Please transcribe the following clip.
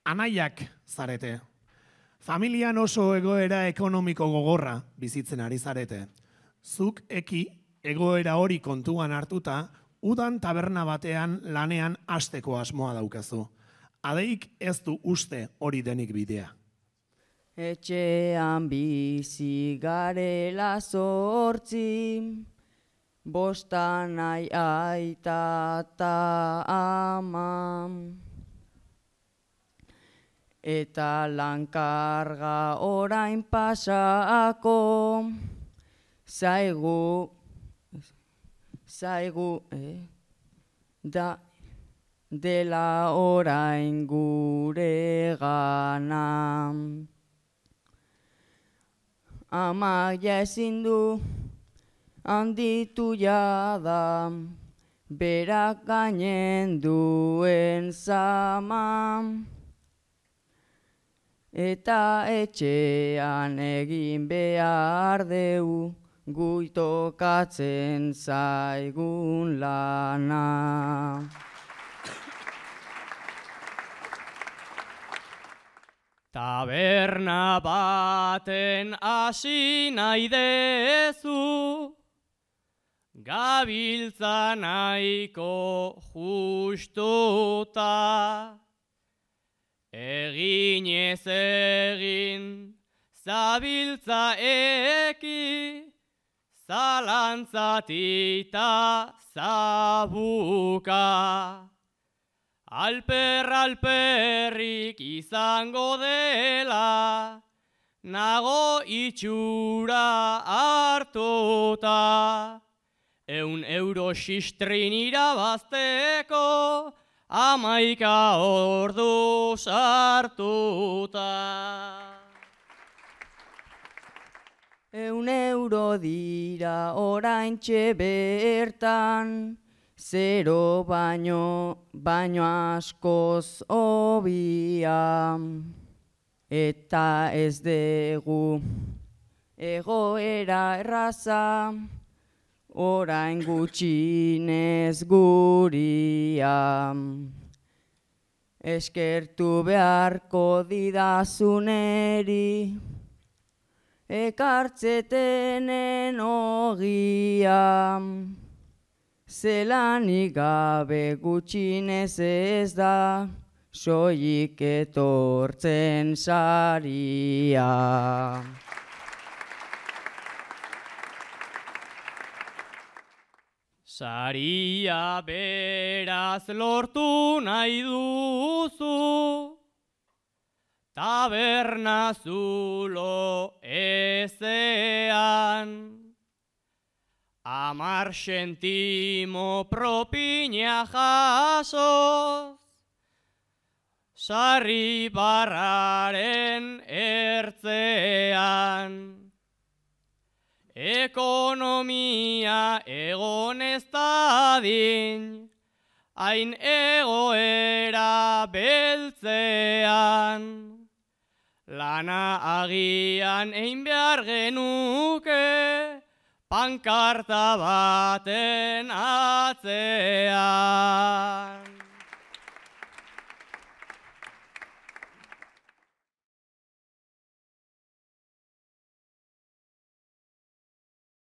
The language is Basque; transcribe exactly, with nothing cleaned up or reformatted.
Anaiak zarete. Familian oso egoera ekonomiko gogorra bizitzen ari zarete. Zuk eki egoera hori kontuan hartuta, udan taberna batean lanean hasteko asmoa daukazu. Adeik ez du uste hori denik bidea. Etxean bizi garela zortzi, bostan ai aita ta ama. Eta lankarga orain pasako, zaigu, zaigu, eh, da, dela orain gure gana. Amak ja ezin du handitu jada, berak gainen duen zama. Eta etxean egin behar deu, guitokatzen zaigun lana. Taberna baten hasi nahi dezu, gabiltza nahiko justuta. Egin ez egin, zabiltza eki, zalantzatita zabuka. Alper alperrik izango dela, nago itxura hartuta. Eun euro sistrin irabazteko, amaika ordu sartuta. Eun euro dira oraintxe bertan, zero baino, baino askoz hobia. Eta ez dugu egoera erraza, orain gutxinez guria. Eskertu beharko didazuneri, ekartzetenen ogia. Zelanik gabe gutxinez ez da, soilik etortzen saria. Saria beraz lortu nahi duzu, taberna zulo ezean. Amar sentimo propina jasoz, sarri barraren ertzean. Ekonomia egon ez dadin, hain egoera beltzean. Lana agian egin behar genuke, pankarta baten atzean.